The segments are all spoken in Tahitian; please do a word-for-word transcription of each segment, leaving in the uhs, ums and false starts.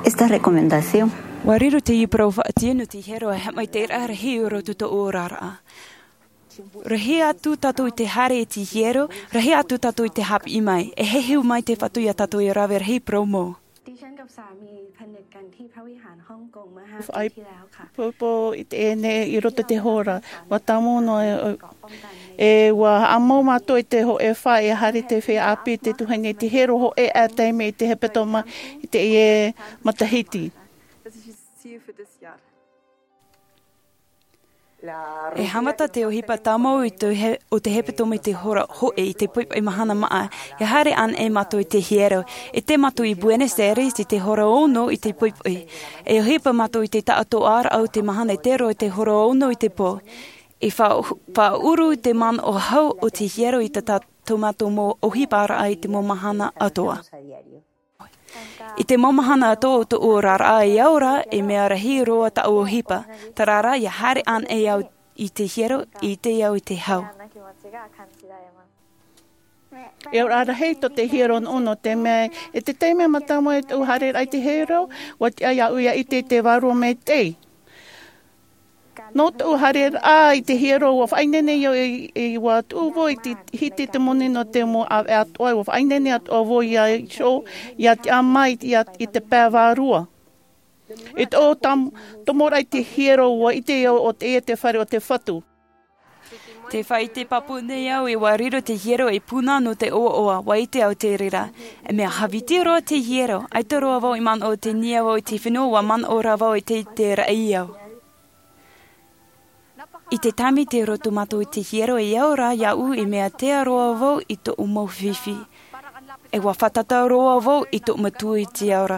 Esta recomendación. Ua riro te parau faʻatiʻa nō te hiero e haʻamaitaʻiraʻa rahi i roto i tō ʻoe oraraʻa. Rahi atu tātou i te haere i te hiero, rahi atu tātou i te haʻapiʻi mai. E heheu mai te Fatu iā tātou e rave rahi parau mau. ดิฉันกับสามีผนึกกันที่พระวิหารฮ่องกงเมื่อห้าปีที่แล้วค่ะ Faʻaipoipo i teie nei i roto i te hora. Ua tāmau noa e, e ua haʻamau mātou i te hōʻē fā e haere te feiā ʻāpī te tuahine i te hiero hōʻē ʻā taime i te hepetoma i teie matahiti. E haʻamata te ʻohipa tāmau i te he-, o te hepetoma i te hora hōʻē i te poʻipoʻi mahana māʻa. E haere anaʻe mātou i te hiero. E tei mātou i Buenos Aires i te hora ono i te poʻipoʻi. E ʻohipa mātou i te taʻatoʻaraʻa o te mahana e tei roa i te hora ono i te pō. E faʻa-, faʻaʻuru te manaʻo hau o te hiero i tā, tā, tō mātou mau ʻohiparaʻa i te mau mahana atoʻa. I te mau mahana atoʻa o tō ʻoe oraraʻa e ao ra, e mea rahi roa tāʻu ʻohipa. Terā rā, ʻia haere anaʻe au i te hiero, i te ao i te hau. E auraʻa rahi tō te hiero nō, nō te mea, e te taime mātāmua i tōʻu haereraʻa i te hiero, ua tiʻa iāʻu ʻia ʻite i te vārua maitaʻi. Nō tōʻu haereraʻa i te hiero, ua faʻaineine au i, i, ua tuʻu vau i te hiti te moni nō te mau ʻāvaʻe atoʻa, ua faʻaineine atoʻa vau iā Iso, ʻia tiʻa mai i, i te pae vārua. I tōʻu tam-, tomoraʻa i te hiero, ua ʻite au ʻo teie te fare o te Fatu. Tē faʻaʻite pāpū nei au e ua riro te hiero ei puna nō te ʻoaʻoa, ua ʻite au te reira. E mea hāviti roa te hiero, ʻaita roa vau i manaʻo tei niʻa vau i te fenua, ua manaʻo rā vau e tei te raʻi au. I te taime tei roto mātou i te hiero e ao ra iāʻu e mea tea roa vau i tōʻu mau fifi. E ua fātata roa vau i tōʻu Matua i te ao ra.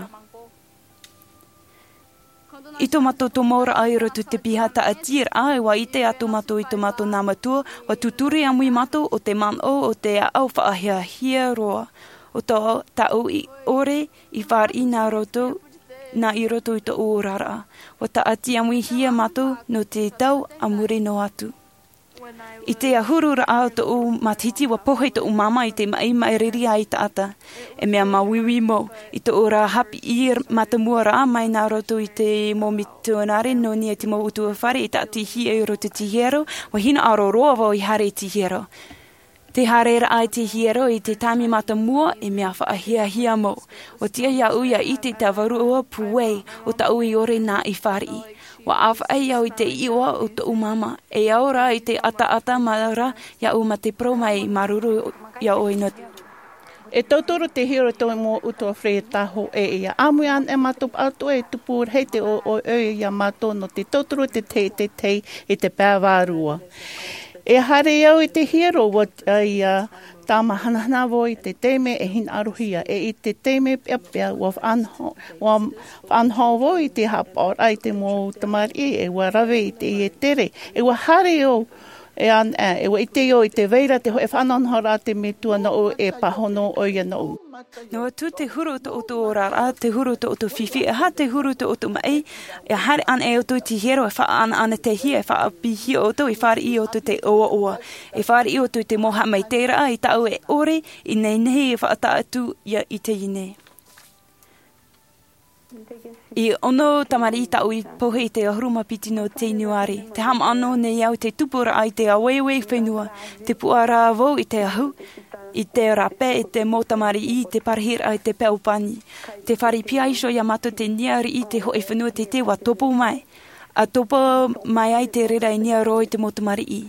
I tō mātou tomoraʻa i roto i te piha taʻatiraʻa, e ua ʻite atu mātou i tō mātou nā Matua, ua tūturi ʻāmui mātou ʻo te manaʻo o te ʻāʻau faʻahiahia roa, ʻo tō tāʻu i ʻore i fāriʻi nā roto, nā i roto i tōʻu oraraʻa. Ua tāʻati ʻāmuihia mātou nō te tau a muri noa atu. I te ʻahururaʻa o tōʻu matahiti, ua pohe tōʻu māmā i te maʻi maʻiriri ʻaitaʻata. E mea māuiui mau, i tōʻu ra haʻapiʻi mātāmua ra mai nā roto i te mau mitionare nō niʻa i te mau ʻutuāfare i tāʻatihia i roto i te hiero, ua hinaʻaro roa vau i haere i te hiero. Te haereraʻa i te hiero i te taime mātāmua, e mea faʻahiahia mau. Ua tiʻa iāʻu ʻia ʻite i te vārua pūai o tāʻu i ʻore nā i fāriʻi. Ua ʻāfaʻi au i te iʻoa o tōʻu māmā. E ao ra i te ʻataʻata mā ra iāʻu mā te parau mai, māuruuru iā ʻoe nō te. E tauturu te hiero i tō mau ʻutuāfare tāhōʻē, ʻia ʻāmui anaʻe mātou pāʻatoʻa e tupu rahi te ʻoiʻoi iā mātou nō te tauturu te tahi, te tahi i te pae vārua. E haere au i te hiero, ua tiʻa ʻia tāmāhanahana vau i te taime e hinaʻarohia, e i te taime peʻapeʻa, ua faʻanaho, ua faʻanaho vau i te haʻapaʻoraʻa i te mau tamariʻi, e ua rave i te ʻie tere, e ua haere au, e an-, e, e ua ʻite au i te vai ra te hōʻē faʻanahonahoraʻa a te Metua nōʻu, e pāhono ʻoia nōʻu. Noa atu te huru o tō ʻoutou oraraʻa, te huru o tō ʻoutou fifi, e aha te huru o tō ʻoutou maʻi, e haere anaʻe ʻoutou i te hiero, e faʻaʻanaʻanatehia, e faʻaʻāpīhia ʻoutou, e fāriʻi ʻoutou i te ʻoaʻoa, e fāriʻi ʻoutou i te mau haʻamaitaʻiraʻa i tāʻu e ʻore i nehenehe e faʻataʻa atu ia i teie nei. E ono tamariʻi tāʻu i pohe i te ʻahuru mā piti nō Ianuari. Tē haʻamanaʻo nei au i te tupuraʻa i te āueue fenua. Tē puʻa ra vau i te ahu, i te rāpae, i te mau tamariʻi, i te parahiraʻa, i te peau pani. Tē fāriʻi piha iho iā mātou te niʻa riʻi i te hōʻē fenua teitei ua topo mai. ʻA topo mai ai te reira i niʻa roa i te mau tamariʻi.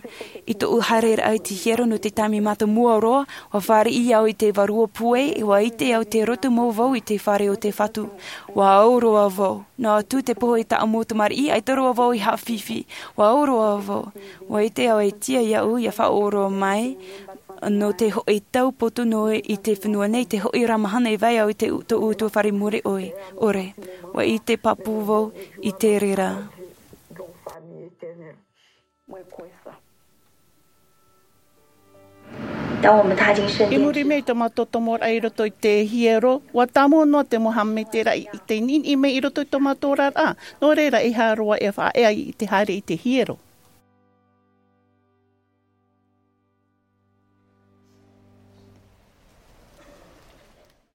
I tōʻu haereraʻa i te hiero nō te taime mātāmua roa, ua fāriʻi au i te vārua pūai, e ua ʻite au tē roto mau vau i te fare o te Fatu. Ua au roa vau. Noa atu te pohe i tāʻu mau tamariʻi, ʻaita roa vau i haʻafifi. Ua au roa vau. Ua ʻite au e tiʻa iāʻu ʻia faʻaroʻo mai, nō te hōʻē tau poto noa i te fenua nei, te hōʻē ra mahana e vai au i te u-, tōʻu ʻutuāfare mure ʻore. Ua ʻite pāpū vau i te reira. I muri mai i tō mātou tomoraʻa i roto i te hiero, ua tāmau noa te mau haʻamaitaʻiraʻa i te niʻiniʻi mai i roto i tō mātou oraraʻa. Nō reira, e aha roa e faʻaea i te haere i te hiero.